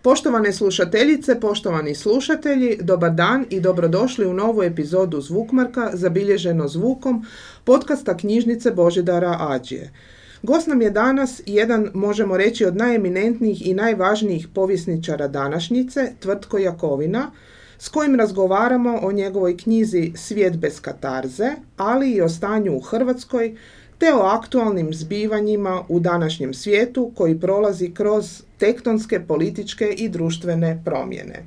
Poštovane slušateljice, poštovani slušatelji, dobar dan i dobrodošli u novu epizodu Zvukmarka zabilježeno zvukom podcasta knjižnice Božidara Ađije. Gost nam je danas jedan, možemo reći, od najeminentnijih i najvažnijih povjesničara današnjice, Tvrtko Jakovina, s kojim razgovaramo o njegovoj knjizi Svijet bez katarze, ali i o stanju u Hrvatskoj, te o aktualnim zbivanjima u današnjem svijetu koji prolazi kroz tektonske, političke i društvene promjene.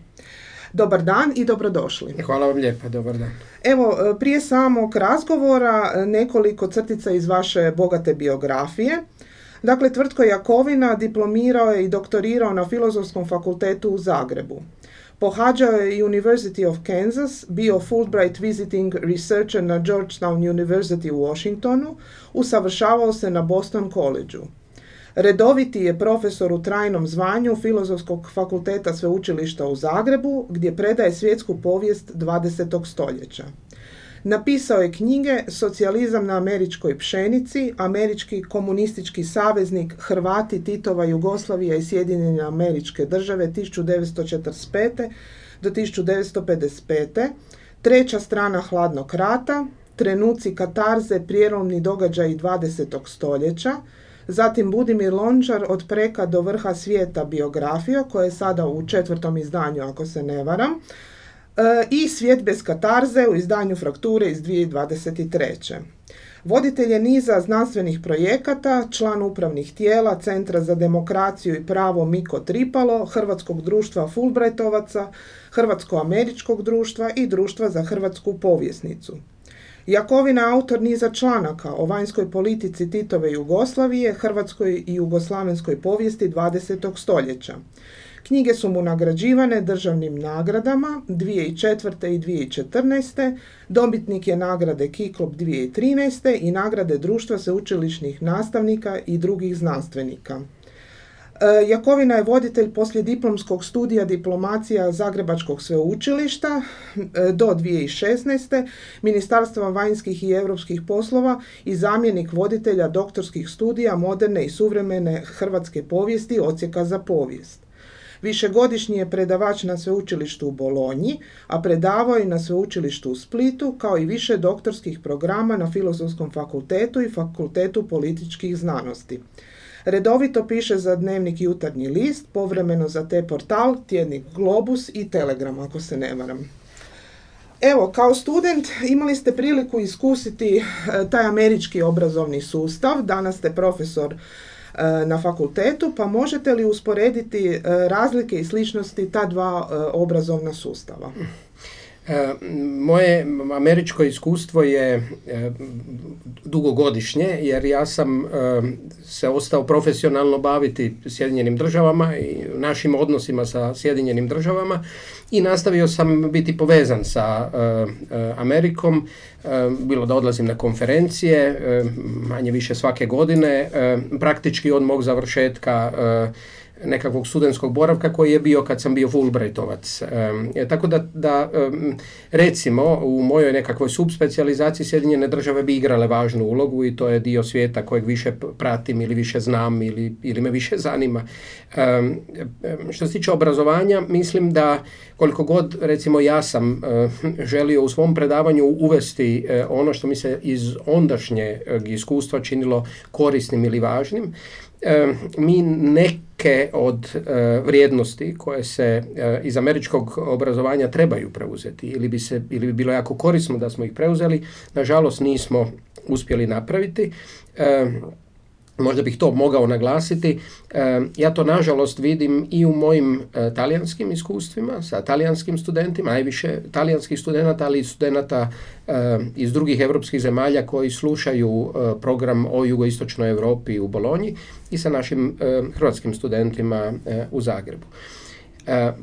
Dobar dan i dobrodošli. Hvala vam lijepa, dobar dan. Evo, prije samog razgovora nekoliko crtica iz vaše bogate biografije. Dakle, Tvrtko Jakovina diplomirao je i doktorirao na Filozofskom fakultetu u Zagrebu. Pohađao je University of Kansas, bio Fulbright visiting researcher na Georgetown University u Washingtonu, usavršavao se na Boston Collegeu. Redoviti je profesor u trajnom zvanju Filozofskog fakulteta Sveučilišta u Zagrebu, gdje predaje svjetsku povijest 20. stoljeća. Napisao je knjige Socijalizam na američkoj pšenici, Američki komunistički saveznik, Hrvati, Titova Jugoslavija i Sjedinjene Američke Države 1945. do 1955. Treća strana hladnog rata, Trenuci katarze, prijelomni događaji 20. stoljeća, zatim Budimir Lončar od preka do vrha svijeta biografija, koja je sada u 4. izdanju, ako se ne varam, i Svijet bez katarze u izdanju Frakture iz 2023. Voditelj je niza znanstvenih projekata, član upravnih tijela Centra za demokraciju i pravo Miko Tripalo, Hrvatskog društva Fulbrightovaca, Hrvatsko-američkog društva i Društva za hrvatsku povjesnicu. Jakovina je autor niza članaka o vanjskoj politici Titove Jugoslavije, hrvatskoj i jugoslavenskoj povijesti 20. stoljeća. Knjige su mu nagrađivane državnim nagradama 2004. i 2014. Dobitnik je nagrade Kiklop 2013. i nagrade Društva sveučilišnih nastavnika i drugih znanstvenika. Jakovina je voditelj poslijediplomskog studija diplomacija Zagrebačkog sveučilišta do 2016. Ministarstva vanjskih i europskih poslova i zamjenik voditelja doktorskih studija moderne i suvremene hrvatske povijesti Odsjeka za povijest. Višegodišnji je predavač na sveučilištu u Bolonji, a predavao je na sveučilištu u Splitu, kao i više doktorskih programa na Filozofskom fakultetu i Fakultetu političkih znanosti. Redovito piše za dnevnik Jutarnji list, povremeno za T-portal, tjednik Globus i Telegram, ako se ne varam. Evo, kao student imali ste priliku iskusiti taj američki obrazovni sustav, danas ste profesor na fakultetu, pa možete li usporediti razlike i sličnosti ta dva obrazovna sustava? Moje američko iskustvo je dugogodišnje, jer ja sam se ostao profesionalno baviti Sjedinjenim državama i našim odnosima sa Sjedinjenim državama i nastavio sam biti povezan sa Amerikom, bilo da odlazim na konferencije, manje više svake godine, praktički od mog završetka nekakvog studentskog boravka koji je bio kad sam bio Fulbrightovac. Tako da recimo u mojoj nekakvoj subspecijalizaciji Sjedinjene države bi igrale važnu ulogu i to je dio svijeta kojeg više pratim ili više znam ili me više zanima. Što se tiče obrazovanja, mislim da koliko god recimo ja sam želio u svom predavanju uvesti ono što mi se iz ondašnjeg iskustva činilo korisnim ili važnim, mi neke od vrijednosti koje se iz američkog obrazovanja trebaju preuzeti ili bi bilo jako korisno da smo ih preuzeli, nažalost nismo uspjeli napraviti. Možda bih to mogao naglasiti. Ja to nažalost vidim i u mojim talijanskim iskustvima, sa talijanskim studentima, najviše talijanskih studenata, ali i studenata iz drugih europskih zemalja koji slušaju program o jugoistočnoj Europi u Bolonji i sa našim hrvatskim studentima u Zagrebu.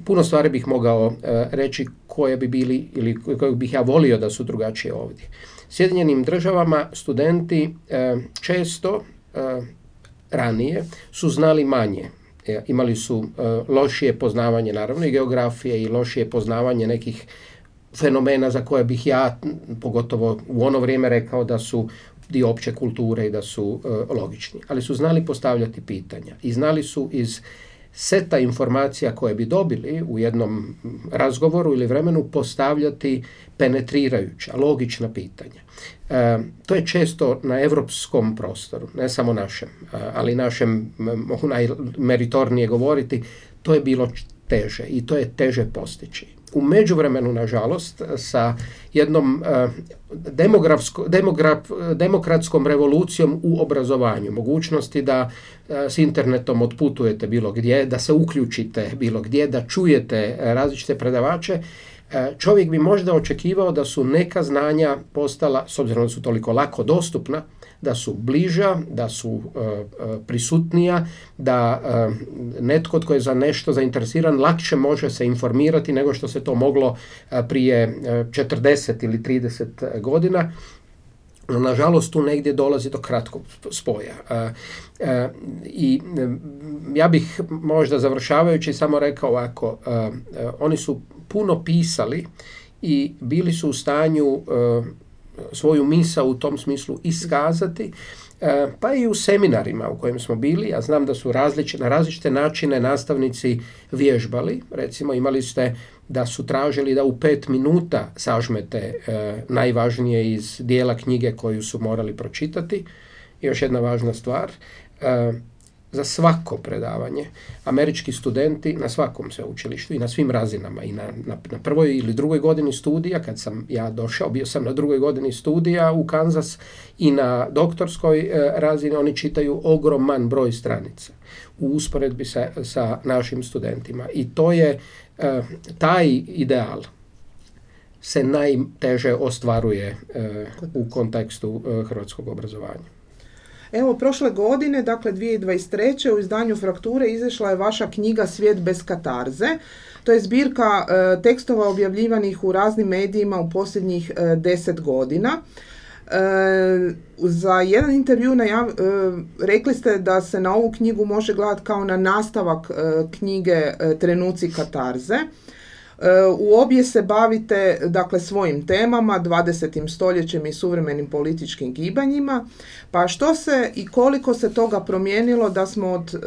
Puno stvari bih mogao reći koje bi bili ili koje bih ja volio da su drugačije ovdje. Sjedinjenim državama studenti često ranije su znali manje. Imali su lošije poznavanje naravno i geografije i lošije poznavanje nekih fenomena za koje bih ja pogotovo u ono vrijeme rekao da su dio opće kulture i da su logični. Ali su znali postavljati pitanja i znali su iz seta informacija koje bi dobili u jednom razgovoru ili vremenu postavljati penetrirajuća, logična pitanja. To je često na europskom prostoru, ne samo našem, ali našem, mogu najmeritornije govoriti, to je bilo teže i to je teže postići. U međuvremenu, nažalost, sa jednom demokratskom revolucijom u obrazovanju, mogućnosti da s internetom otputujete bilo gdje, da se uključite bilo gdje, da čujete različite predavače, čovjek bi možda očekivao da su neka znanja postala, s obzirom da su toliko lako dostupna, da su bliža, da su prisutnija, da netko tko je za nešto zainteresiran lakše može se informirati nego što se to moglo prije 40 ili 30 godina. Nažalost, tu negdje dolazi do kratkog spoja. I ja bih možda završavajući samo rekao ovako, oni su puno pisali i bili su u stanju svoju misao u tom smislu iskazati, pa i u seminarima u kojim smo bili. Ja znam da su na različite načine nastavnici vježbali. Recimo, imali ste da su tražili da u 5 minuta sažmete najvažnije iz dijela knjige koju su morali pročitati. I još jedna važna stvar, za svako predavanje američki studenti na svakom sveučilištu i na svim razinama, i na prvoj ili drugoj godini studija, kad sam ja došao, bio sam na drugoj godini studija u Kansas, i na doktorskoj razini oni čitaju ogroman broj stranica u usporedbi sa našim studentima. I to je taj ideal se najteže ostvaruje u kontekstu hrvatskog obrazovanja. Evo, prošle godine, dakle 2023. u izdanju Frakture izašla je vaša knjiga Svijet bez katarze. To je zbirka tekstova objavljivanih u raznim medijima u posljednjih 10 godina. Za jedan intervju rekli ste da se na ovu knjigu može gledati kao na nastavak knjige Trenuci katarze. U obje se bavite, dakle, svojim temama, 20. stoljećem i suvremenim političkim gibanjima. Pa što se i koliko se toga promijenilo da smo od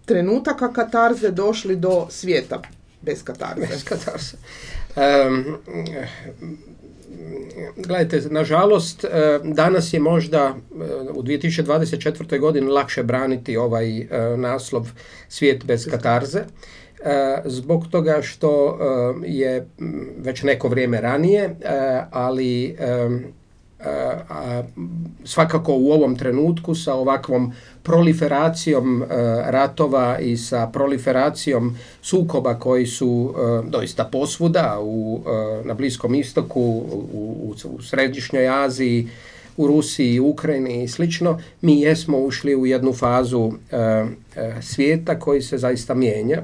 trenutaka katarze došli do svijeta bez katarze? Bez katarze. Gledajte, nažalost, danas je možda u 2024. godini lakše braniti ovaj naslov Svijet bez katarze. Zbog toga što je već neko vrijeme ranije, ali svakako u ovom trenutku sa ovakvom proliferacijom ratova i sa proliferacijom sukoba koji su doista posvuda na Bliskom istoku, u Središnjoj Aziji, u Rusiji, Ukrajini i slično, mi jesmo ušli u jednu fazu svijeta koji se zaista mijenja.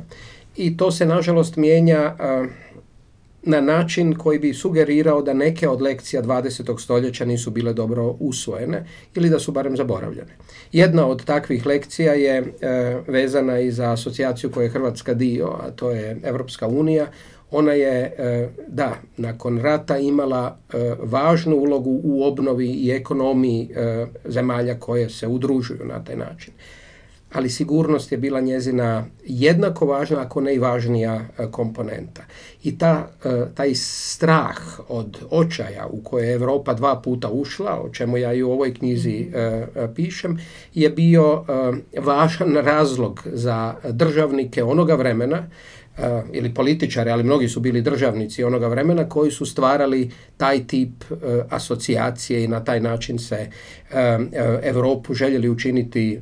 I to se, nažalost, mijenja na način koji bi sugerirao da neke od lekcija 20. stoljeća nisu bile dobro usvojene ili da su barem zaboravljene. Jedna od takvih lekcija je vezana i za asocijaciju koje je Hrvatska dio, a to je Europska unija. Ona je, nakon rata imala važnu ulogu u obnovi i ekonomiji zemalja koje se udružuju na taj način. Ali sigurnost je bila njezina jednako važna, ako ne i važnija komponenta. I taj strah od očaja u koje je Europa 2 puta ušla, o čemu ja i u ovoj knjizi pišem, je bio važan razlog za državnike onoga vremena, ili političari, ali mnogi su bili državnici onoga vremena koji su stvarali taj tip asocijacije i na taj način se Europu željeli učiniti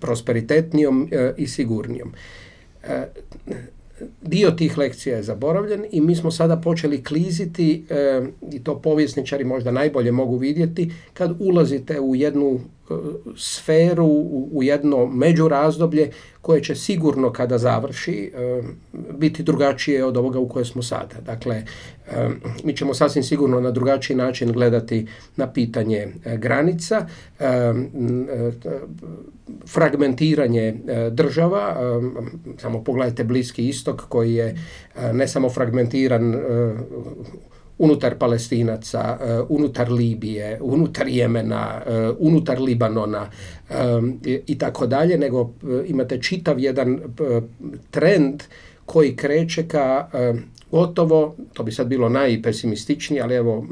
prosperitetnijom i sigurnijom. Dio tih lekcija je zaboravljen i mi smo sada počeli kliziti, i to povjesničari možda najbolje mogu vidjeti, kad ulazite u jednu sferu, u jedno međurazdoblje koje će sigurno kada završi biti drugačije od ovoga u kojoj smo sada. Dakle, mi ćemo sasvim sigurno na drugačiji način gledati na pitanje granica, fragmentiranje država. Samo pogledajte Bliski istok koji je ne samo fragmentiran unutar Palestinaca, unutar Libije, unutar Jemena, unutar Libanona i tako dalje, nego imate čitav jedan trend koji kreće ka gotovo, to bi sad bilo najpesimističnije, ali evo,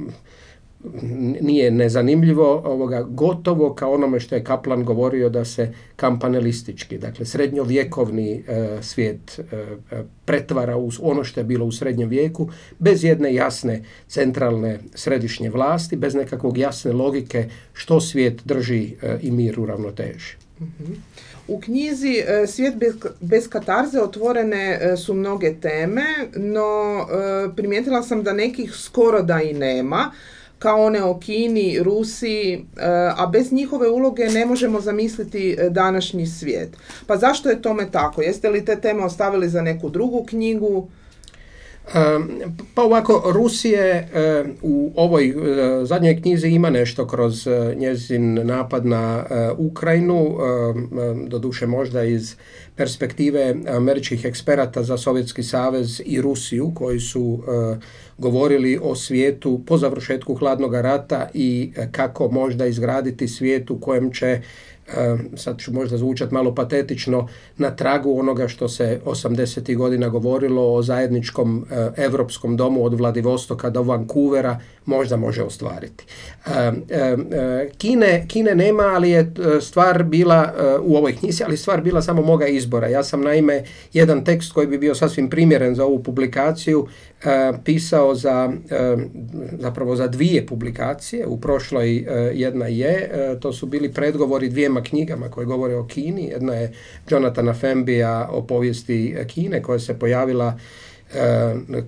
nije nezanimljivo, gotovo kao onome što je Kaplan govorio da se kampanelistički, dakle srednjovjekovni svijet pretvara u ono što je bilo u srednjem vijeku, bez jedne jasne centralne središnje vlasti, bez nekakvog jasne logike što svijet drži i mir u ravnoteži. U knjizi Svijet bez katarze otvorene su mnoge teme, no primijetila sam da nekih skoro da i nema, kao one o Kini, Rusiji, a bez njihove uloge ne možemo zamisliti današnji svijet. Pa zašto je tome tako? Jeste li te teme ostavili za neku drugu knjigu? Pa ovako, Rusije u ovoj zadnjoj knjizi ima nešto kroz njezin napad na Ukrajinu, doduše možda iz perspektive američkih eksperata za Sovjetski savez i Rusiju, koji su govorili o svijetu po završetku hladnog rata i kako možda izgraditi svijet u kojem će, sad ću možda zvučati malo patetično, na tragu onoga što se 80. godina govorilo o zajedničkom europskom domu od Vladivostoka do Vancouvera, možda može ostvariti. Kine nema, ali je stvar bila u ovoj knjizi, ali stvar bila samo moga izbora. Ja sam naime jedan tekst koji bi bio sasvim primjeren za ovu publikaciju pisao zapravo za dvije publikacije. U prošloj jedna je, to su bili predgovori dvijema knjigama koje govore o Kini. Jedna je Jonathana Fembija o povijesti Kine, koja se pojavila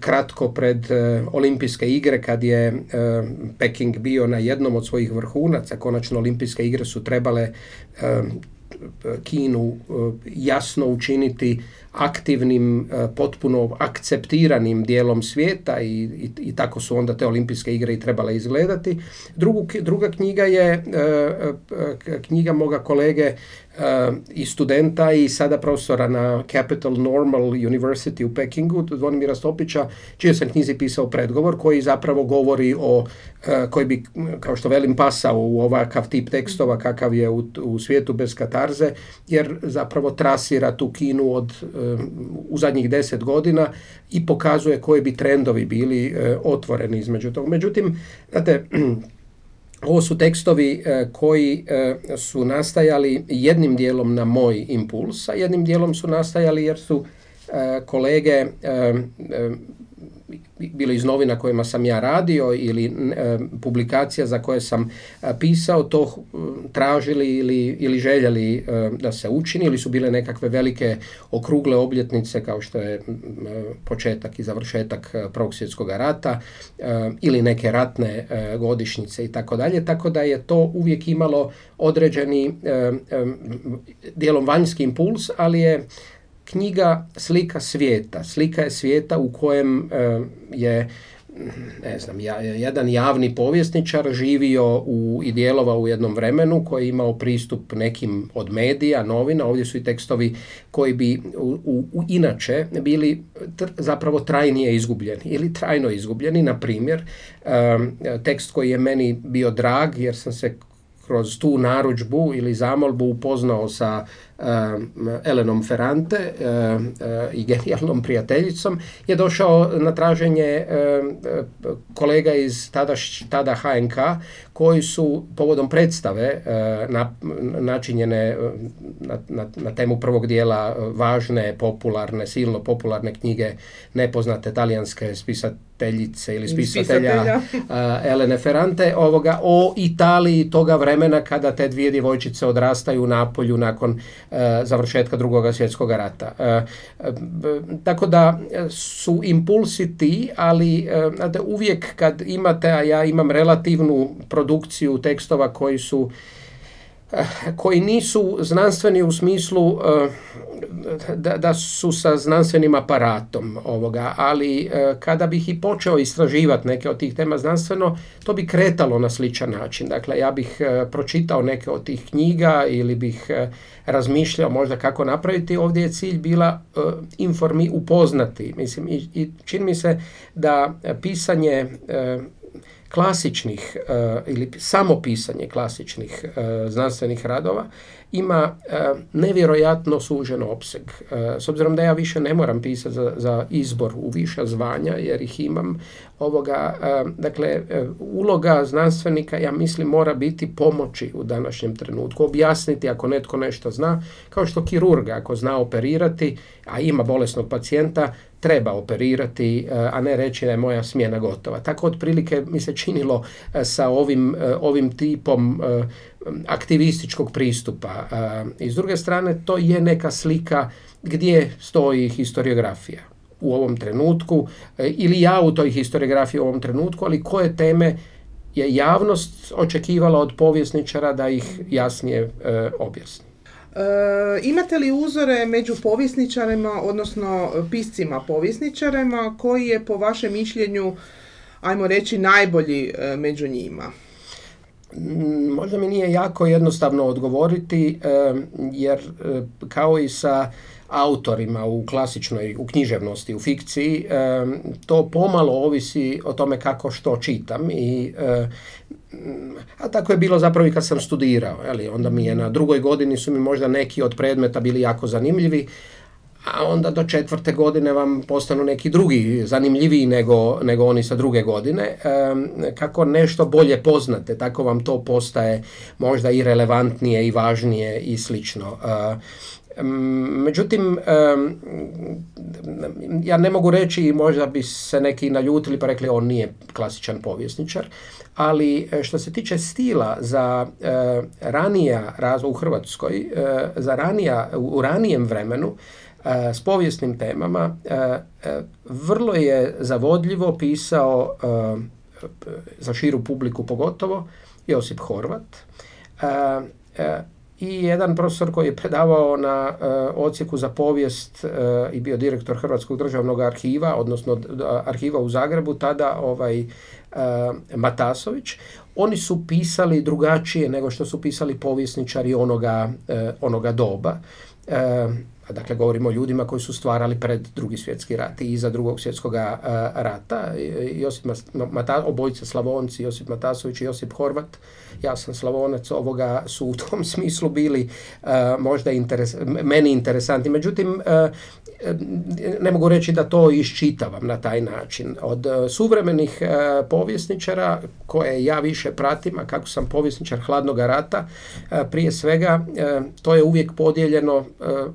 kratko pred olimpijske igre, kad je Peking bio na jednom od svojih vrhunaca. Konačno olimpijske igre su trebale Kinu jasno učiniti aktivnim, potpuno akceptiranim dijelom svijeta i tako su onda te olimpijske igre i trebale izgledati. Druga knjiga je knjiga moga kolege i studenta i sada profesora na Capital Normal University u Pekingu, Zvonimira Stopića, čije sam knjizi pisao predgovor, koji zapravo govori o, koji bi, kao što velim, pasao u ovakav tip tekstova kakav je u Svijetu bez katarze, jer zapravo trasira tu Kinu u zadnjih 10 godina i pokazuje koji bi trendovi bili otvoreni između toga. Međutim, znate, ovo su tekstovi koji su nastajali jednim dijelom na moj impuls, a jednim dijelom su nastajali jer su kolege bilo iz novina kojima sam ja radio ili publikacija za koje sam pisao, to tražili ili željeli da se učini, ili su bile nekakve velike okrugle obljetnice kao što je početak i završetak Prvog svjetskog rata ili neke ratne godišnjice i tako dalje, tako da je to uvijek imalo određeni dijelom vanjski impuls, ali je knjiga slika svijeta. Slika je svijeta u kojem je, ne znam, jedan javni povjesničar živio i djelovao u jednom vremenu, koji je imao pristup nekim od medija, novina. Ovdje su i tekstovi koji bi inače bili zapravo trajnije izgubljeni ili trajno izgubljeni. Na primjer, tekst koji je meni bio drag jer sam se kroz tu narudžbu ili zamolbu upoznao sa Elenom Ferrante i genijalnom prijateljicom, je došao na traženje kolega iz tada HNK, koji su povodom predstave načinjene na temu prvog dijela važne, popularne, silno popularne knjige nepoznate talijanske spisateljice ili spisatelja Elene Ferrante o Italiji toga vremena kada te dvije djevojčice odrastaju u Napolju nakon završetka Drugog svjetskog rata. Tako da su impulsi ti, ali uvijek kad imate, a ja imam relativnu produkciju tekstova koji su koji nisu znanstveni u smislu da su sa znanstvenim aparatom ovoga, ali kada bih i počeo istraživati neke od tih tema znanstveno, to bi kretalo na sličan način. Dakle, ja bih pročitao neke od tih knjiga ili bih razmišljao možda kako napraviti. Ovdje je cilj bila upoznati. Mislim, i čini mi se da pisanje klasičnih ili samo pisanje klasičnih znanstvenih radova ima nevjerojatno sužen opseg. S obzirom da ja više ne moram pisati za izbor u viša zvanja jer ih imam, dakle, uloga znanstvenika, ja mislim, mora biti pomoći u današnjem trenutku, objasniti ako netko nešto zna, kao što kirurga ako zna operirati, a ima bolesnog pacijenta, treba operirati, a ne reći da je moja smjena gotova. Tako otprilike mi se činilo sa ovim tipom aktivističkog pristupa. I s druge strane, to je neka slika gdje stoji historiografija u ovom trenutku, ili ja u toj historiografiji u ovom trenutku, ali koje teme je javnost očekivala od povjesničara da ih jasnije objasni. Imate li uzore među povjesničarima, odnosno piscima povjesničarima, koji je po vašem mišljenju, ajmo reći, najbolji među njima? Možda mi nije jako jednostavno odgovoriti, jer kao i sa autorima u književnosti, u fikciji, to pomalo ovisi o tome kako što čitam a tako je bilo zapravo i kad sam studirao. Onda mi je na drugoj godini su mi možda neki od predmeta bili jako zanimljivi, a onda do 4. godine vam postanu neki drugi zanimljiviji nego oni sa druge godine. Kako nešto bolje poznate, tako vam to postaje možda i relevantnije i važnije i slično. Međutim, ja ne mogu reći, možda bi se neki naljutili pa rekli on nije klasičan povjesničar, ali što se tiče stila za ranija razvoj u Hrvatskoj, u ranijem vremenu, s povijesnim temama, vrlo je zavodljivo pisao, za širu publiku pogotovo, Josip Horvat. I jedan profesor koji je predavao na odsjeku za povijest i bio direktor Hrvatskog državnog arhiva, odnosno arhiva u Zagrebu, tada Matasović. Oni su pisali drugačije nego što su pisali povjesničari onoga doba. Dakle, govorimo o ljudima koji su stvarali pred Drugi svjetski rat i iza Drugog svjetskog rata. Obojica Slavonci, Josip Matasović i Josip Horvat. Ja sam Slavonac, ovoga su u tom smislu bili možda meni interesantni. Međutim, ne mogu reći da to iščitavam na taj način. Od suvremenih povjesničara koje ja više pratim, a kako sam povjesničar hladnog rata, prije svega to je uvijek podijeljeno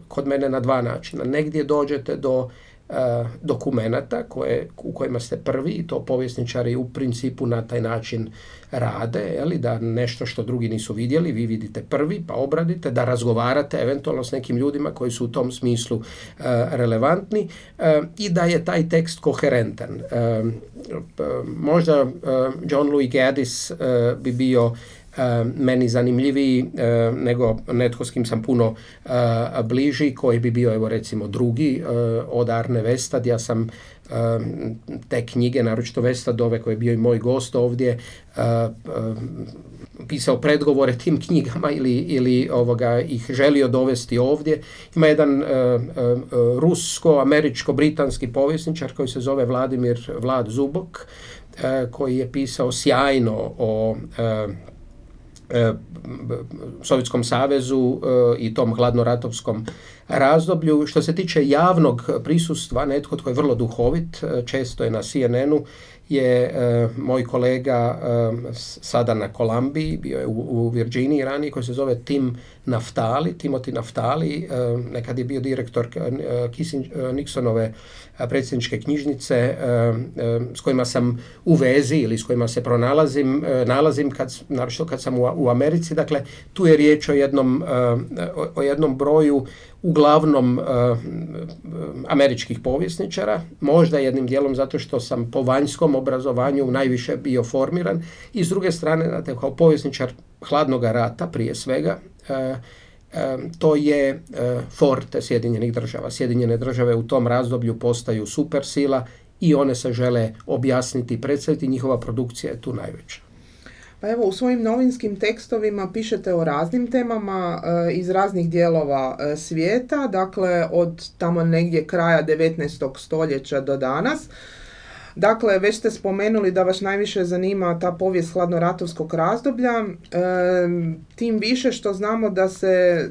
kod mene na dva načina. Negdje dođete do dokumenata u kojima ste prvi, i to povjesničari u principu na taj način rade, da nešto što drugi nisu vidjeli, vi vidite prvi, pa obradite, da razgovarate eventualno s nekim ljudima koji su u tom smislu relevantni i da je taj tekst koherentan. Možda John Louis Gaddis bi bio meni zanimljiviji nego netko s kim sam puno bliži, koji bi bio, evo recimo, drugi od Arne Westad. Ja sam te knjige, naročito Westadove, koji je bio i moj gost ovdje, pisao predgovore tim knjigama ili ih želio dovesti ovdje. Ima jedan rusko-američko-britanski povjesničar koji se zove Vlad Zubok, koji je pisao sjajno o Sovjetskom savezu i tom hladnoratovskom razdoblju. Što se tiče javnog prisustva, netko tko je vrlo duhovit, često je na CNN-u, je moj kolega sada na Kolumbiji, bio je u Virginiji ranije, koji se zove Timothy Naftali, nekad je bio direktor Nixonove predsjedničke knjižnice, s kojima sam u vezi ili s kojima se nalazim naročito kad sam u Americi. Dakle, tu je riječ o jednom broju uglavnom američkih povjesničara, možda jednim dijelom zato što sam po vanjskom obrazovanju najviše bio formiran i s druge strane, znate, kao povjesničar hladnog rata prije svega, to je forte Sjedinjenih država. Sjedinjene države u tom razdoblju postaju supersila i one se žele objasniti i predstaviti, njihova produkcija je tu najveća. Pa evo, u svojim novinskim tekstovima pišete o raznim temama iz raznih dijelova svijeta, dakle od tamo negdje kraja 19. stoljeća do danas. Dakle, već ste spomenuli da vas najviše zanima ta povijest hladnoratovskog razdoblja, tim više što znamo da se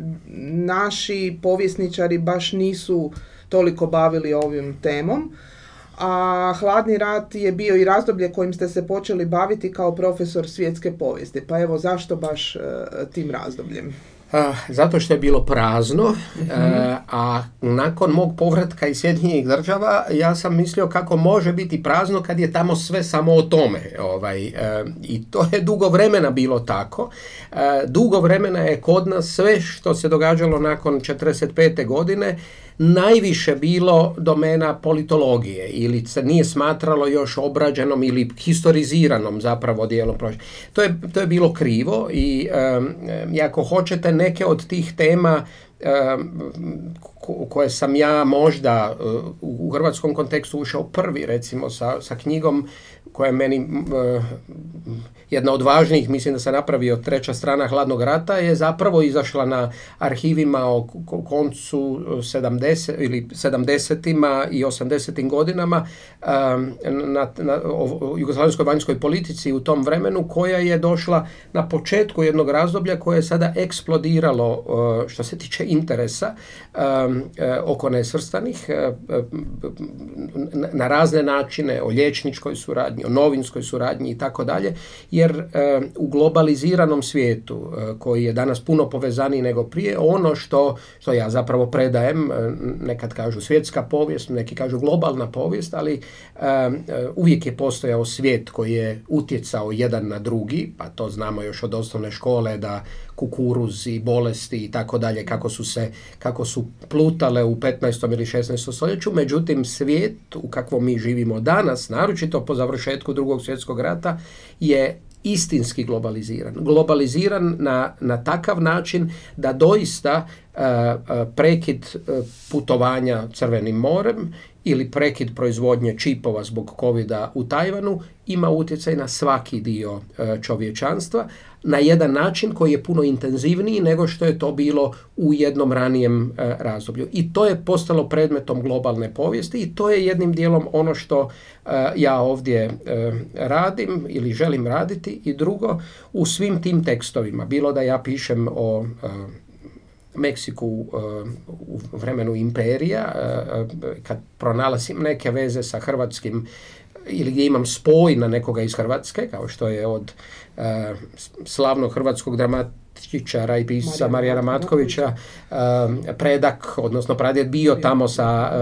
naši povjesničari baš nisu toliko bavili ovim temom, a hladni rat je bio i razdoblje kojim ste se počeli baviti kao profesor svjetske povijesti. Pa evo, zašto baš tim razdobljem? Zato što je bilo prazno, a nakon mog povratka iz Sjedinjenih država ja sam mislio kako može biti prazno kad je tamo sve samo o tome. I to je dugo vremena bilo tako. Dugo vremena je kod nas sve što se događalo nakon 45. godine najviše bilo domena politologije ili se nije smatralo još obrađenom ili historiziranom zapravo dijelom. To je bilo krivo i ako hoćete neke od tih tema koje sam ja možda u hrvatskom kontekstu ušao prvi, recimo sa knjigom koja je meni jedna od važnijih, mislim da se napravio Treća strana hladnog rata, je zapravo izašla na arhivima o koncu 70-ima i 80-im godinama o jugoslavenskoj vanjskoj politici u tom vremenu, koja je došla na početku jednog razdoblja koje je sada eksplodiralo što se tiče interesa oko nesvrstanih na razne načine, o liječničkoj suradnji, o novinskoj suradnji i tako dalje, jer u globaliziranom svijetu koji je danas puno povezaniji nego prije, ono što ja zapravo predajem, nekad kažu svjetska povijest, neki kažu globalna povijest, ali uvijek je postojao svijet koji je utjecao jedan na drugi, pa to znamo još od osnovne škole, da kukuruz i bolesti i tako dalje, kako su plutale u 15. ili 16. stoljeću. Međutim, svijet u kakvom mi živimo danas, naročito po završetku Drugog svjetskog rata, je istinski globaliziran. Globaliziran na takav način da doista prekid putovanja Crvenim morem ili prekid proizvodnje čipova zbog covida u Tajvanu ima utjecaj na svaki dio čovječanstva na jedan način koji je puno intenzivniji nego što je to bilo u jednom ranijem razdoblju. I to je postalo predmetom globalne povijesti i to je jednim dijelom ono što ja ovdje radim ili želim raditi. I drugo, u svim tim tekstovima, bilo da ja pišem o Meksiku u vremenu imperija, kad pronalazim neke veze sa hrvatskim ili gdje imam spoj na nekoga iz Hrvatske, kao što je od slavnog hrvatskog dramatičara i pisca Marijana Matkovića predak, odnosno pradjed bio tamo sa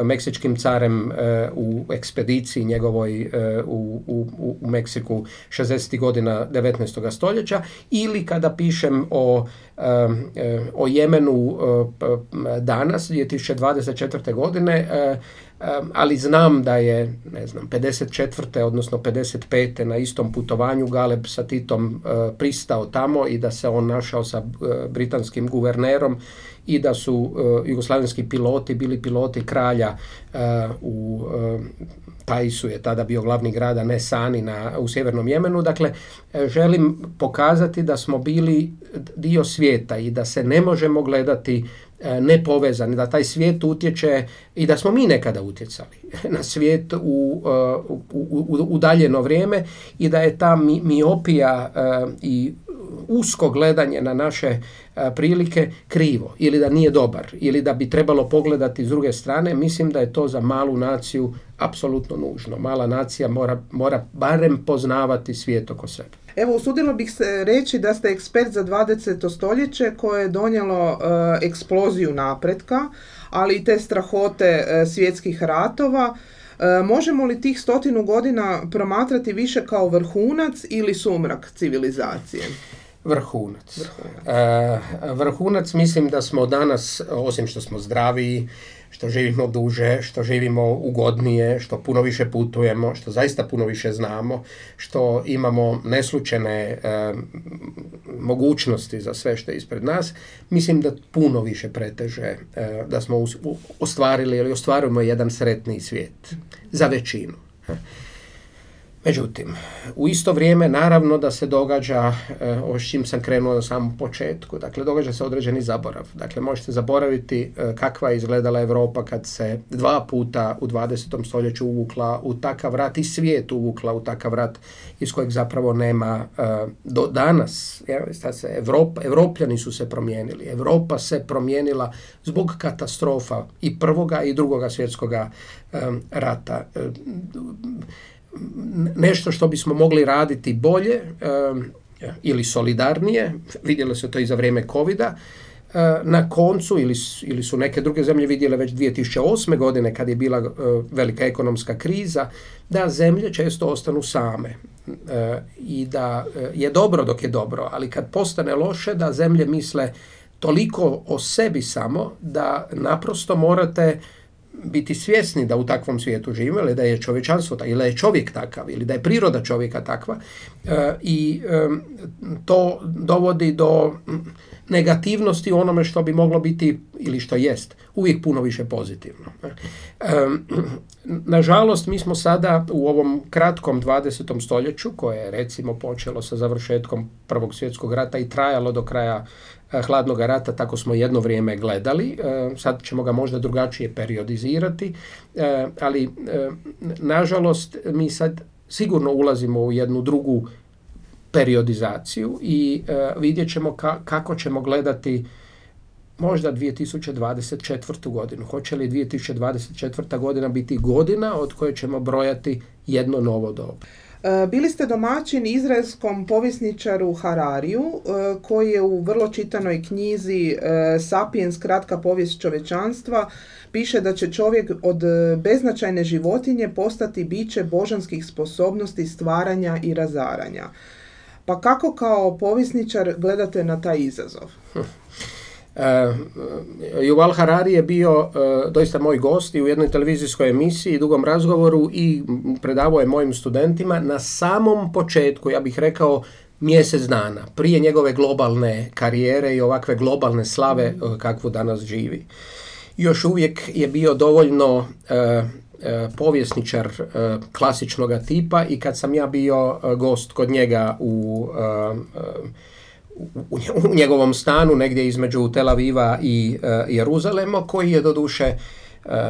meksičkim carem u ekspediciji njegovoj u Meksiku 60. godina 19. stoljeća, ili kada pišem o Jemenu danas, 2024. godine, ali znam da je, 54. odnosno 55. na istom putovanju Galeb sa Titom pristao tamo i da se on našao sa britanskim guvernerom i da su jugoslavenski piloti bili piloti kralja u Taisu je tada bio glavni grad, a ne Sani u sjevernom Jemenu. Dakle, želim pokazati da smo bili dio svijeta i da se ne možemo gledati nepovezani, da taj svijet utječe i da smo mi nekada utjecali na svijet u udaljeno vrijeme i da je ta miopija i usko gledanje na naše prilike krivo ili da nije dobar ili da bi trebalo pogledati s druge strane. Mislim da je to za malu naciju apsolutno nužno. Mala nacija mora barem poznavati svijet oko sebe. Evo, usudilo bih se reći da ste ekspert za 20. stoljeće koje je donijelo eksploziju napretka, ali i te strahote svjetskih ratova. Možemo li tih 100 godina promatrati više kao vrhunac ili sumrak civilizacije? Vrhunac. Vrhunac, mislim da smo danas, osim što smo zdraviji, što živimo duže, što živimo ugodnije, što puno više putujemo, što zaista puno više znamo, što imamo neslučajne mogućnosti za sve što je ispred nas, mislim da puno više preteže da smo ostvarili ili ostvarujemo jedan sretniji svijet za većinu. Međutim, u isto vrijeme naravno da se događa, ovo s čim sam krenuo na samom početku, dakle događa se određeni zaborav. Dakle, možete zaboraviti kakva je izgledala Europa kad se 2 puta u 20. stoljeću uvukla u takav rat i svijet uvukla u takav rat iz kojeg zapravo nema do danas. Evropljani su se promijenili. Europa se promijenila zbog katastrofa i prvoga i drugoga svjetskoga rata. Nešto što bismo mogli raditi bolje ili solidarnije, vidjelo se to i za vrijeme covida, na koncu ili su neke druge zemlje vidjele već 2008. godine kad je bila velika ekonomska kriza, da zemlje često ostanu same i da je dobro dok je dobro, ali kad postane loše da zemlje misle toliko o sebi samo da naprosto morate biti svjesni da u takvom svijetu živimo ili da je čovječanstvo ili da je čovjek takav ili da je priroda čovjeka takva i to dovodi do negativnosti u onome što bi moglo biti ili što jest uvijek puno više pozitivno. Nažalost, mi smo sada u ovom kratkom 20. stoljeću koje je recimo počelo sa završetkom Prvog svjetskog rata i trajalo do kraja Hladnog rata, tako smo jedno vrijeme gledali, sad ćemo ga možda drugačije periodizirati, ali nažalost mi sad sigurno ulazimo u jednu drugu periodizaciju i vidjet ćemo kako ćemo gledati možda 2024. godinu. Hoće li 2024. godina biti godina od koje ćemo brojati jedno novo doba? Bili ste domaćin izraelskom povjesničaru Harariju, koji je u vrlo čitanoj knjizi Sapiens, kratka povijest čovječanstva, piše da će čovjek od beznačajne životinje postati biće božanskih sposobnosti stvaranja i razaranja. Pa kako kao povjesničar gledate na taj izazov? Yuval Harari je bio doista moj gost i u jednoj televizijskoj emisiji, dugom razgovoru i predavao je mojim studentima na samom početku, ja bih rekao mjesec dana, prije njegove globalne karijere i ovakve globalne slave kakvu danas živi. Još uvijek je bio dovoljno povjesničar klasičnog tipa i kad sam ja bio gost kod njega u njegovom stanu negdje između Tel Aviva i Jeruzalema, koji je doduše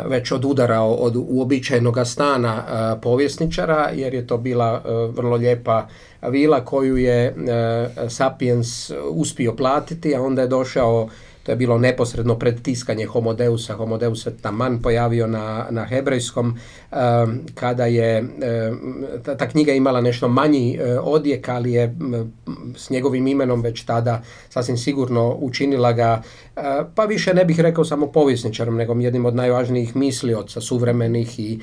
već odudarao od uobičajenog stana povjesničara, jer je to bila vrlo lijepa vila koju je Sapiens uspio platiti, a onda je došao, to je bilo neposredno pred tiskanje Homo Deus se taman pojavio na hebrejskom, kada je ta knjiga imala nešto manji odjek, ali je s njegovim imenom već tada sasvim sigurno učinila ga, pa više ne bih rekao samo povjesničarom, nego jednim od najvažnijih mislioca suvremenih i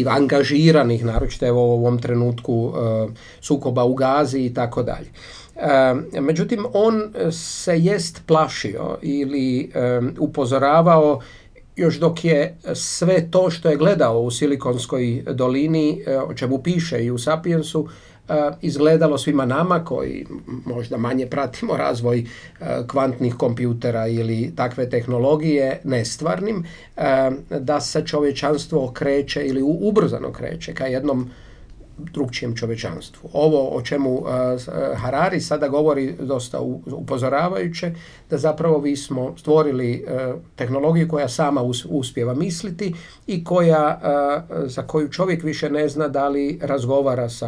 angažiranih, naročito evo u ovom trenutku sukoba u Gazi i tako dalje. Međutim, on se jest plašio ili upozoravao još dok je sve to što je gledao u Silikonskoj dolini, o čemu piše i u Sapiensu, izgledalo svima nama koji možda manje pratimo razvoj kvantnih kompjutera ili takve tehnologije nestvarnim, da se čovječanstvo kreće ili ubrzano kreće ka jednom drugčijem čovječanstvu. Ovo o čemu Harari sada govori dosta upozoravajuće, da zapravo vi smo stvorili tehnologiju koja sama uspijeva misliti i za koju čovjek više ne zna da li razgovara s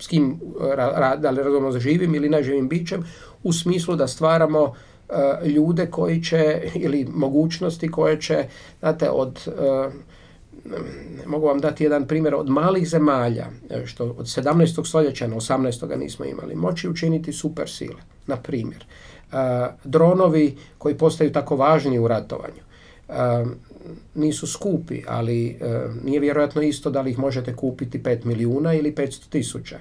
kim, da li razgovaramo sa živim ili neživim bićem, u smislu da stvaramo ljude koji će, ili mogućnosti koje će, znate, mogu vam dati jedan primjer, od malih zemalja, što od 17. stoljeća na 18. nismo imali, moći učiniti super sile. Na primjer, dronovi koji postaju tako važni u ratovanju. nisu skupi, ali nije vjerojatno isto da li ih možete kupiti 5 milijuna ili 500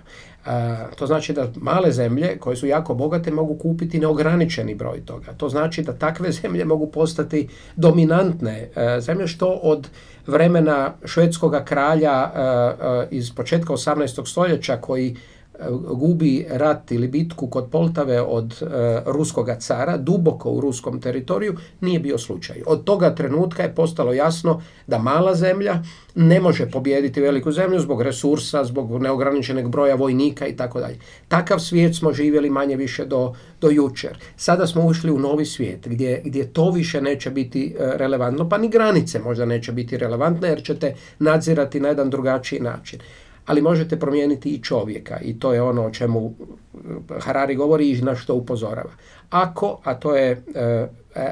000. To znači da male zemlje koje su jako bogate mogu kupiti neograničeni broj toga. To znači da takve zemlje mogu postati dominantne zemlje, što od vremena švedskog kralja iz početka 18. stoljeća koji gubi rat ili bitku kod Poltave od ruskoga cara, duboko u ruskom teritoriju, nije bio slučaj. Od toga trenutka je postalo jasno da mala zemlja ne može pobijediti veliku zemlju zbog resursa, zbog neograničenog broja vojnika i tako dalje. Takav svijet smo živjeli manje više do jučer. Sada smo ušli u novi svijet gdje to više neće biti relevantno, pa ni granice možda neće biti relevantne jer ćete nadzirati na jedan drugačiji način. Ali možete promijeniti i čovjeka i to je ono o čemu Harari govori i na što upozorava. Ako, a to je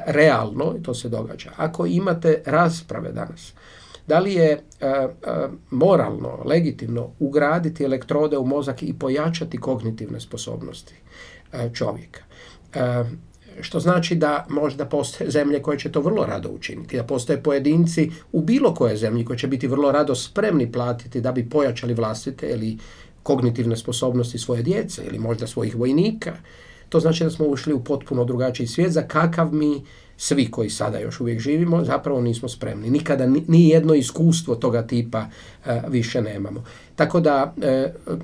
realno i to se događa, ako imate rasprave danas, da li je moralno, legitimno ugraditi elektrode u mozak i pojačati kognitivne sposobnosti čovjeka, što znači da možda postoje zemlje koje će to vrlo rado učiniti, da postoje pojedinci u bilo koje zemlji koji će biti vrlo rado spremni platiti da bi pojačali vlastite ili kognitivne sposobnosti svoje djece ili možda svojih vojnika. To znači da smo ušli u potpuno drugačiji svijet za kakav mi svi koji sada još uvijek živimo zapravo nismo spremni. Nikada ni jedno iskustvo toga tipa više nemamo. Tako da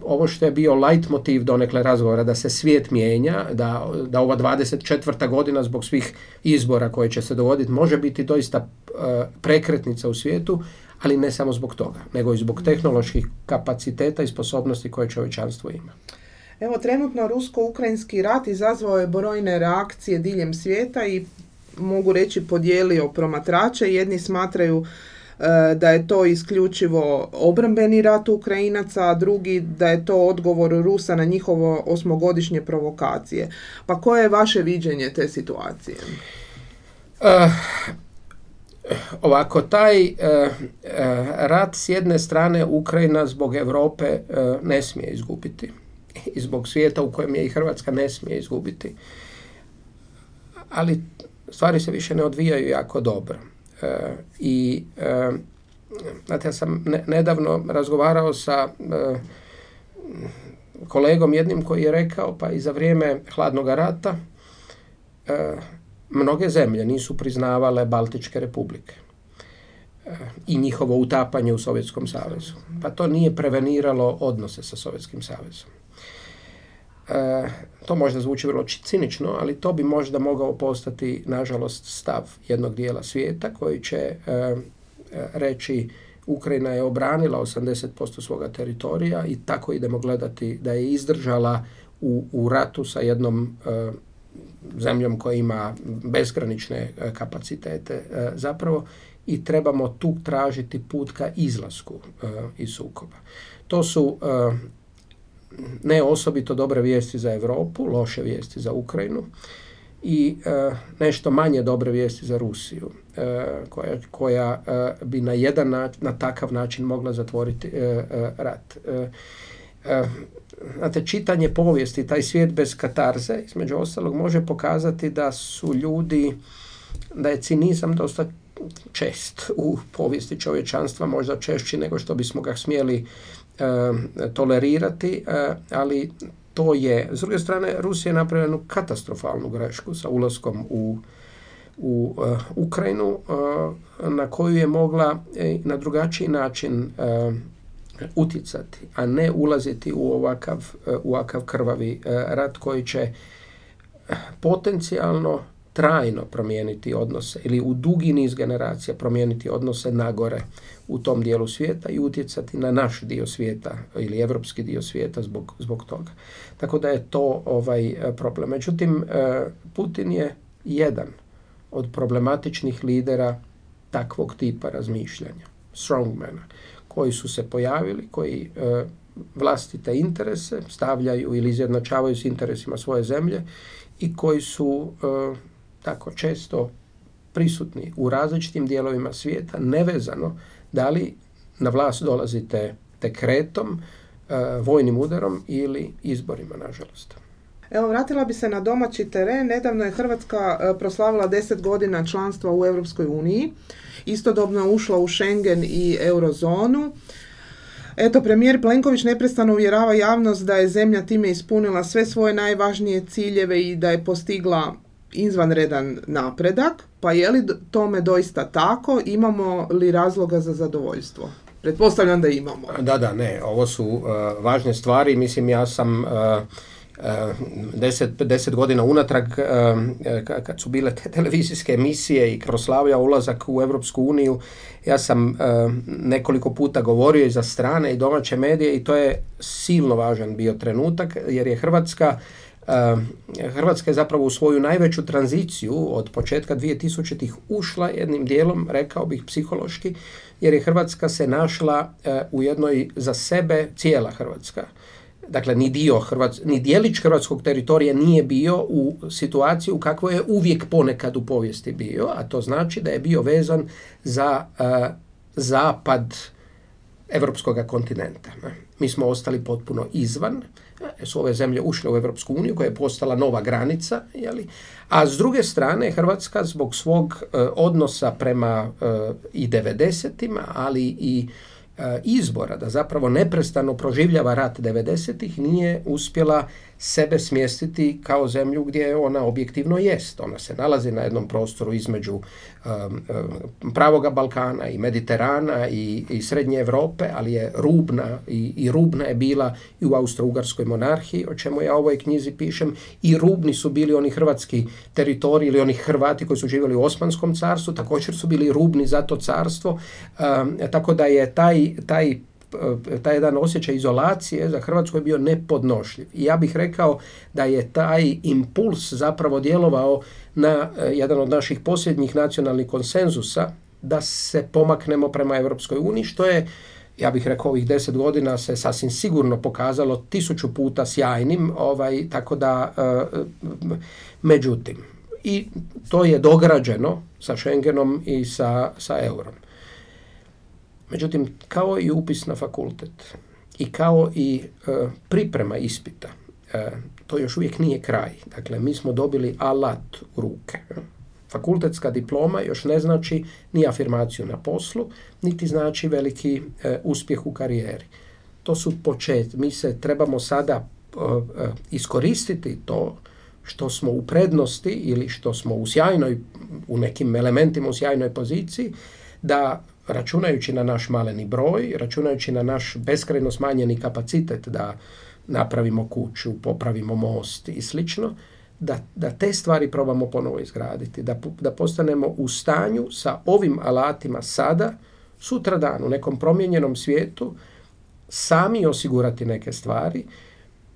ovo što je bio leitmotiv donekle razgovora da se svijet mijenja, da ova 24. godina zbog svih izbora koje će se dogoditi može biti doista prekretnica u svijetu, ali ne samo zbog toga, nego i zbog tehnoloških kapaciteta i sposobnosti koje čovječanstvo ima. Evo, trenutno rusko-ukrajinski rat izazvao je brojne reakcije diljem svijeta i mogu reći podijelio promatrače. Jedni smatraju da je to isključivo obrambeni rat Ukrajinaca, a drugi da je to odgovor Rusa na njihovo 8-godišnje provokacije. Pa koje je vaše viđenje te situacije? Ovako, taj rat s jedne strane Ukrajina zbog Europe ne smije izgubiti i zbog svijeta u kojem je i Hrvatska ne smije izgubiti. Ali stvari se više ne odvijaju jako dobro. Znate, ja sam nedavno razgovarao sa kolegom jednim koji je rekao, pa i za vrijeme hladnog rata mnoge zemlje nisu priznavale Baltičke republike i njihovo utapanje u Sovjetskom savezu. Pa to nije preveniralo odnose sa Sovjetskim savezom. To možda zvuči vrlo cinično, ali to bi možda mogao postati, nažalost, stav jednog dijela svijeta koji će reći Ukrajina je obranila 80% svoga teritorija i tako idemo gledati da je izdržala u ratu sa jednom zemljom koja ima bezgranične kapacitete zapravo i trebamo tu tražiti put ka izlasku iz sukoba. To su ne osobito dobre vijesti za Europu, loše vijesti za Ukrajinu i nešto manje dobre vijesti za Rusiju, koja bi na takav način mogla zatvoriti rat. Znate, čitanje povijesti, taj svijet bez katarze, između ostalog, može pokazati da su ljudi, da je cinizam dosta čest u povijesti čovječanstva, možda češći nego što bismo ga smjeli tolerirati, ali to je, s druge strane, Rusija je napravila jednu katastrofalnu grešku sa ulaskom u Ukrajinu, na koju je mogla na drugačiji način utjecati, a ne ulaziti u ovakav krvavi rat koji će potencijalno trajno promijeniti odnose ili u dugi niz generacija promijeniti odnose nagore u tom dijelu svijeta i utjecati na naš dio svijeta ili evropski dio svijeta zbog toga. Tako da je to problem. Međutim, Putin je jedan od problematičnih lidera takvog tipa razmišljanja, strongmana, koji su se pojavili, koji vlastite interese stavljaju ili izjednačavaju s interesima svoje zemlje i koji su tako često prisutni u različitim dijelovima svijeta, nevezano da li na vlast dolazite dekretom, vojnim udarom ili izborima, nažalost. Evo, vratila bi se na domaći teren. Nedavno je Hrvatska proslavila 10 godina članstva u Europskoj uniji. Istodobno je ušla u Schengen i eurozonu. Eto, premijer Plenković neprestano uvjerava javnost da je zemlja time ispunila sve svoje najvažnije ciljeve i da je postigla izvanredan napredak. Pa je li tome doista tako? Imamo li razloga za zadovoljstvo? Pretpostavljam da imamo. Da, ne. Ovo su važne stvari. Mislim, ja sam 10 godina unatrag, kad su bile te televizijske emisije i proslavljao ulazak u Europsku uniju, ja sam nekoliko puta govorio i za strane i domaće medije i to je silno važan bio trenutak, jer je Hrvatska je zapravo u svoju najveću tranziciju od početka 2000-ih ušla jednim dijelom, rekao bih psihološki, jer je Hrvatska se našla u jednoj za sebe, cijela Hrvatska. Dakle, ni dijelić hrvatskog teritorija nije bio u situaciji u kakvoj je uvijek ponekad u povijesti bio, a to znači da je bio vezan za zapad evropskog kontinenta. Mi smo ostali potpuno izvan, su ove zemlje ušle u Europsku uniju koja je postala nova granica, a s druge strane Hrvatska zbog svog odnosa prema i 90-ima, ali i izbora da zapravo neprestano proživljava rat 90-ih, nije uspjela sebe smjestiti kao zemlju gdje ona objektivno jest. Ona se nalazi na jednom prostoru između pravoga Balkana i Mediterana i Srednje Europe, ali je rubna i rubna je bila i u Austro-Ugarskoj monarhiji, o čemu ja u ovoj knjizi pišem, i rubni su bili oni hrvatski teritoriji ili oni Hrvati koji su živjeli u Osmanskom carstvu, također su bili rubni za to carstvo, tako da je taj jedan osjećaj izolacije za Hrvatsku je bio nepodnošljiv. I ja bih rekao da je taj impuls zapravo djelovao na jedan od naših posljednjih nacionalnih konsenzusa da se pomaknemo prema Europskoj uniji, što je, ja bih rekao, ovih 10 godina se sasvim sigurno pokazalo 1000 puta sjajnim, tako da, međutim, i to je dograđeno sa Schengenom i sa eurom. Međutim, kao i upis na fakultet i kao i priprema ispita, to još uvijek nije kraj. Dakle, mi smo dobili alat u ruke. Fakultetska diploma još ne znači ni afirmaciju na poslu, niti znači veliki uspjeh u karijeri. To su početci. Mi se trebamo sada iskoristiti to što smo u prednosti ili što smo u nekim elementima u sjajnoj poziciji, da računajući na naš maleni broj, računajući na naš beskrajno smanjeni kapacitet da napravimo kuću, popravimo most i slično, da te stvari probamo ponovo izgraditi, da postanemo u stanju sa ovim alatima sada, sutradan u nekom promijenjenom svijetu, sami osigurati neke stvari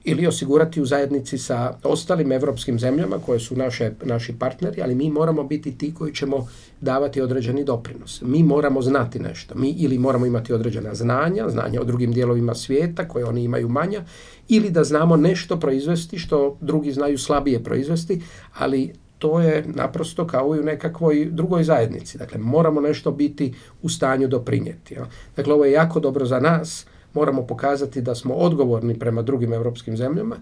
ili osigurati u zajednici sa ostalim evropskim zemljama koje su naši partneri, ali mi moramo biti ti koji ćemo davati određeni doprinos. Mi moramo znati nešto. Mi ili moramo imati određena znanja o drugim dijelovima svijeta koje oni imaju manja, ili da znamo nešto proizvesti što drugi znaju slabije proizvesti, ali to je naprosto kao i u nekakvoj drugoj zajednici. Dakle, moramo nešto biti u stanju doprinijeti. Dakle, ovo je jako dobro za nas. Moramo pokazati da smo odgovorni prema drugim europskim zemljama,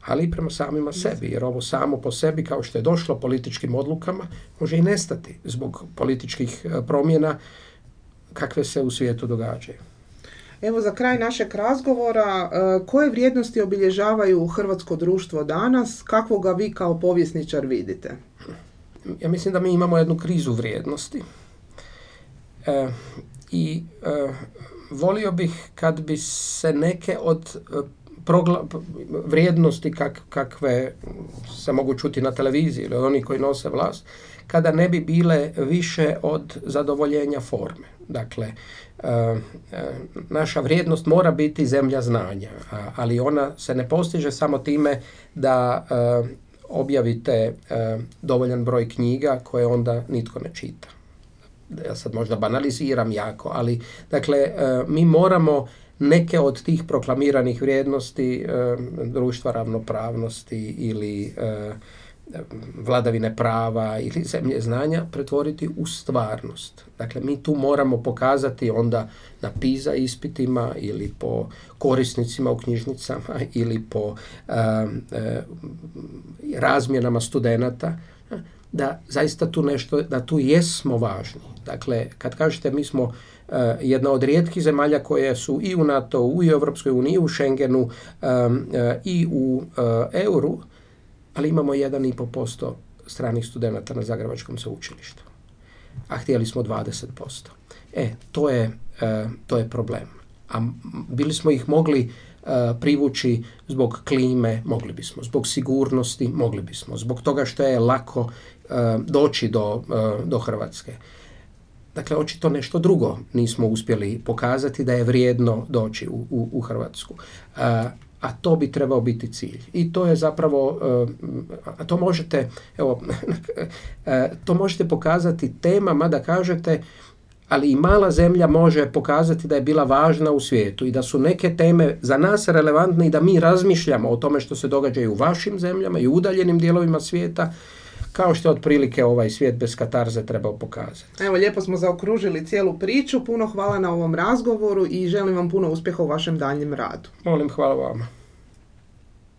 ali i prema samima sebi, jer ovo samo po sebi, kao što je došlo političkim odlukama, može i nestati zbog političkih promjena kakve se u svijetu događaju. Evo, za kraj našeg razgovora, koje vrijednosti obilježavaju hrvatsko društvo danas? Kako ga vi kao povjesničar vidite? Ja mislim da mi imamo jednu krizu vrijednosti i volio bih kad bi se neke od vrijednosti kakve se mogu čuti na televiziji ili oni koji nose vlast, kada ne bi bile više od zadovoljenja forme. Dakle, naša vrijednost mora biti zemlja znanja, ali ona se ne postiže samo time da objavite dovoljan broj knjiga koje onda nitko ne čita. Ja sad možda banaliziram jako, ali dakle, mi moramo neke od tih proklamiranih vrijednosti društva ravnopravnosti vladavine prava ili zemlje znanja pretvoriti u stvarnost. Dakle, mi tu moramo pokazati onda na PISA ispitima ili po korisnicima u knjižnicama ili po razmjenama studenata, da zaista tu nešto, da tu jesmo važni. Dakle, kad kažete mi smo jedna od rijetkih zemalja koje su i u NATO-u, i u Europskoj uniji, i u Schengenu, i u euru, ali imamo 1,5% stranih studenata na Zagrebačkom sveučilištu. A htjeli smo 20%. To je problem. A bili smo ih mogli privući zbog klime, mogli bismo, zbog sigurnosti, mogli bismo, zbog toga što je lako doći do Hrvatske. Dakle, očito nešto drugo nismo uspjeli pokazati da je vrijedno doći u Hrvatsku. A to bi trebao biti cilj. I to je zapravo, to možete pokazati temama da kažete, ali i mala zemlja može pokazati da je bila važna u svijetu i da su neke teme za nas relevantne i da mi razmišljamo o tome što se događa i u vašim zemljama i u udaljenim dijelovima svijeta, kao što je otprilike ovaj svijet bez katarze trebao pokazati. Evo, lijepo smo zaokružili cijelu priču. Puno hvala na ovom razgovoru i želim vam puno uspjeha u vašem daljnjem radu. Molim, hvala vama.